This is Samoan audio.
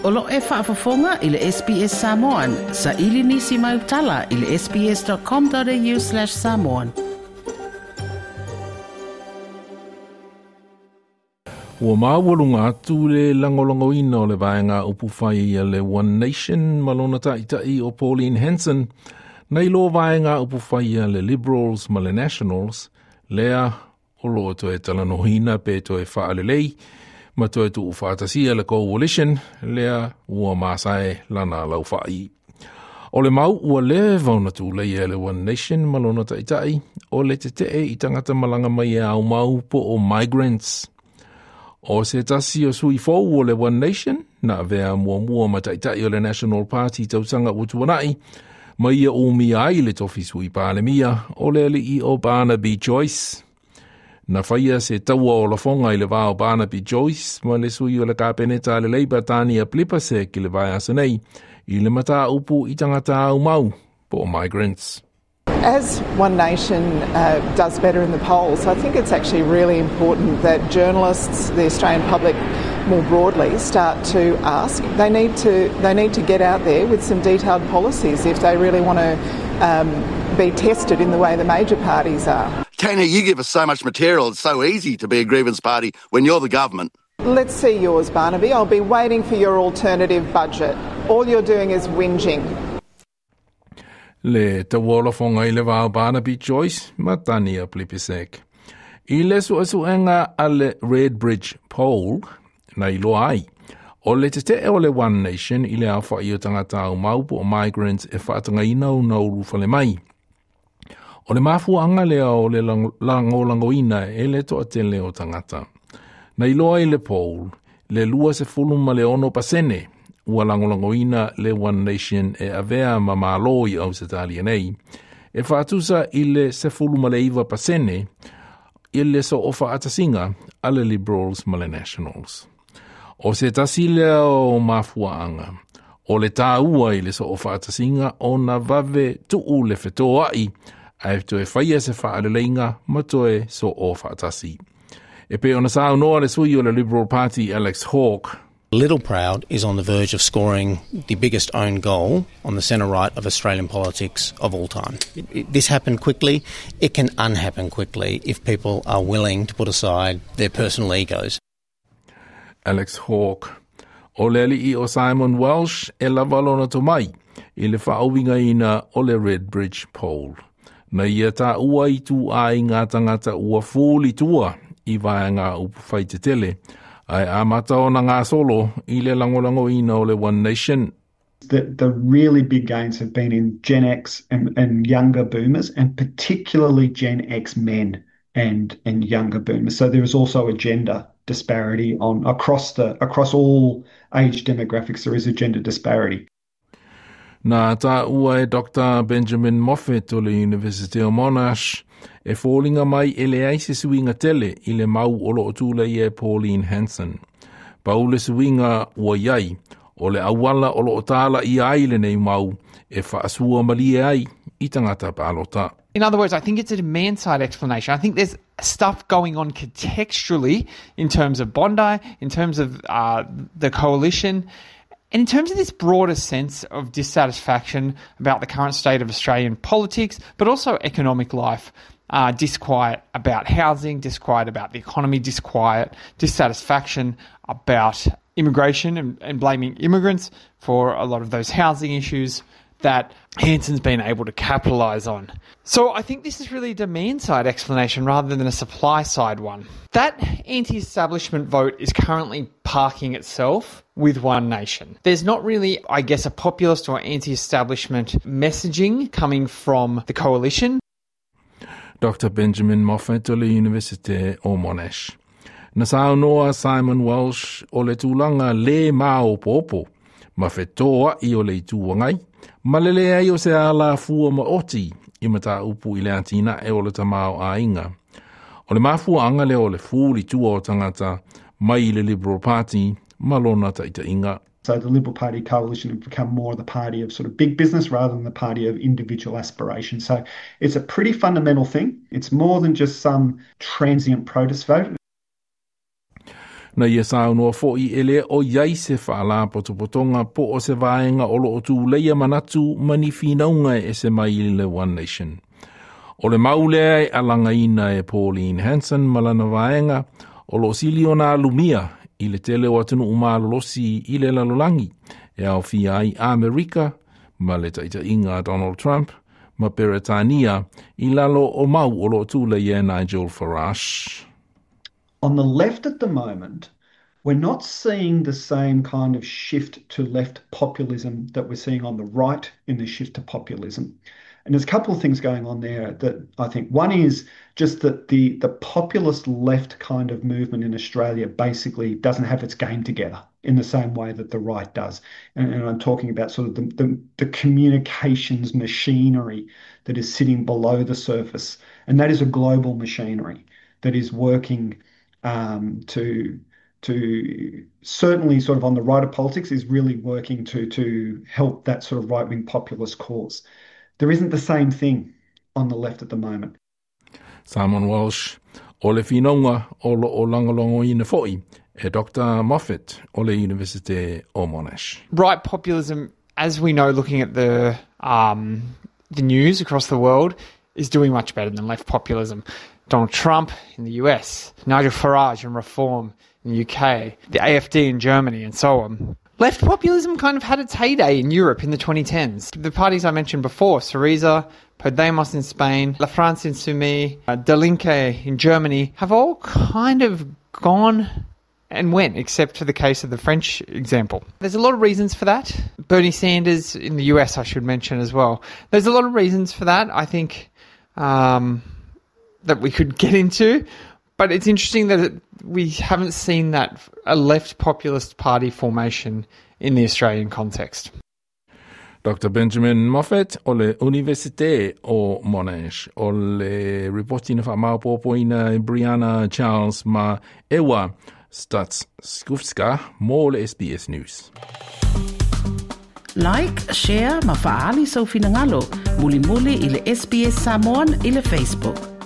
O lo o e faafofoga i le SBS Samoan. Saili nisi mau tala i le sbs.com.au/samoan. Ua maualuga atu le lagolagoina o le vaega upufai a le One Nation ma lona ta'ita'i o Pauline Hanson nai lo vaega upufai a le Liberals ma le Nationals, lea o lo o toe talanoaina pe toe faalelei ma toe tuufaatasia le Coalition lea ua masae lana laufa'i. O le mau ua leva ona tuleia e le One Nation ma lona ta'ita'i o le tete'e i tagata malaga mai e aumau po o migrants. O se tasi o sui fou o le One Nation, na avea muamua ma ta'ita'i o le National Party tausaga ua tuana'i, ma ia umia ai le tofi sui palemia o le alii o Barnaby Joyce. Na faia se taua o lafoga i le va o Barnaby Joyce ma le sui o le Kapeneta a le Labour Tania Plibersek i le vaiaso nei i le mataupu i tagata aumau po o migrants. As One Nation does better in the polls, I think it's actually really important that journalists, the Australian public more broadly, start to ask. They need to, they need to get out there with some detailed policies if they really want to be tested in the way the major parties are. Tanya, you give us so much material. It's so easy to be a grievance party when you're the government. Let's see yours, Barnaby. I'll be waiting for your alternative budget. All you're doing is whinging. Le taua o lafoga i le va o Barnaby Joyce ma Tania Plibersek. I le suesuega a le Redbridge Poll, na iloa ai, o le tete'e o le One Nation i le aofa'i o tagata aumau po o migrants e faatagaina ona ulufale mai. O le mafuaaga lea o le lagolagoina e le toatele o tagata. Na iloa i le poll, le 26% ua lagolagoina le One Nation e avea ma Malo i Ausetalia nei, e faatusa i le 19% i le soofaatasiga a le Liberals ma le Nationals. O se tasi lea o mafuaaga, o le tāua i le soofaatasiga ona vave tuu le fetoa'i ae toe faia se faaleleiga ma toe soofaatasi. E pei ona saunoa le sui o le Liberal Party Alex Hawke. Little Proud is on the verge of scoring the biggest own goal on the centre right of Australian politics of all time. This happened quickly. It can unhappen quickly if people are willing to put aside their personal egos. Alex Hawke. O le alii o Simon Welsh e lava lona tomai i le faauigaina o le Redbridge Poll. Na ia taua ituaiga tagata ua fuli tua i vaega upufai tetele, ae amata ona gasolo i le lagolagoina o le One Nation. The really big gains have been in Gen X and younger boomers, and particularly Gen X men and younger boomers. So there is also a gender disparity on across the across all age demographics. There is a gender disparity. Na taua e Dr. Benjamin Moffat o le University o Monash e foliga mai e leai se suiga tele i le mau o lo o tuleia e Pauline Hanson. Pau le suiga ua i ai, o le auala o lo o talaia ai lenei mau e faasua malie ai i tagata palota. In other words, I think it's a demand side explanation. I think there's stuff going on contextually in terms of Bondi, in terms of the coalition, and in terms of this broader sense of dissatisfaction about the current state of Australian politics, but also economic life, disquiet about housing, disquiet about the economy, disquiet, dissatisfaction about immigration and blaming immigrants for a lot of those housing issues that Hanson's been able to capitalise on. So I think this is really a demand side explanation rather than a supply side one. That anti establishment vote is currently parking itself with One Nation. There's not really, I guess, a populist or anti establishment messaging coming from the coalition. Dr. Benjamin Moffat o le University o Monash. Na saunoa Simon Welsh o le tulaga le maopoopo ma fetoa'i o le Itu Agai, ma le leai o se alafua maoti i mataupu i le atinae o le tamaoaiga. O le mafuaaga lea o le fuli tua o tagata mai le Liberal Party ma lona ta'ita'iga. So the Liberal Party coalition have become more the party of sort of big business rather than the party of individual aspiration. So it's a pretty fundamental thing. It's more than just some transient protest vote. Na ia saunoa fo'i e le o iai se faalapotopotoga po o se vaega o loo tuleia manatu ma ni finauga e ese mai i le One Nation. O le mau lea e alagaina e Pauline Hanson ma lana vaega o loo sili ona alumia i le tele o atunuu malolosi i le lalolagi e aofia ai Amerika ma le taitaiga a Donald Trump ma Peretania i lalo o mau o loo tuleia e Nigel Farage. On the left at the moment, we're not seeing the same kind of shift to left populism that we're seeing on the right in the shift to populism. And there's a couple of things going on there that I think. One is just that the populist left kind of movement in Australia basically doesn't have its game together in the same way that the right does. And I'm talking about sort of the communications machinery that is sitting below the surface. And that is a global machinery that is working to certainly sort of on the right of politics is really working to help that sort of right-wing populist cause. There isn't the same thing on the left at the moment. Simon Walsh, o le finauga o loo lagolagoina fo'i e Dr. Moffat o le Universite o Monash. Right populism, as we know, looking at the news across the world, is doing much better than left populism. Donald Trump in the US, Nigel Farage and Reform in the UK, the AFD in Germany, and so on. Left populism kind of had its heyday in Europe in the 2010s. The parties I mentioned before, Syriza, Podemos in Spain, La France Insoumise, Die Linke in Germany, have all kind of gone and went, except for the case of the French example. There's a lot of reasons for that. Bernie Sanders in the US, I should mention as well. There's a lot of reasons for that, I think, that we could get into. But it's interesting that we haven't seen that a left populist party formation in the Australian context. Dr. Benjamin Moffat o le Universite o Monash o le ripoti na faamaopoopoina e Brianna Charles ma Ewa Statskovska mo le SBS News. Like, share, ma faali sau finagalo. Mulimuli i le SBS Samoan i le Facebook.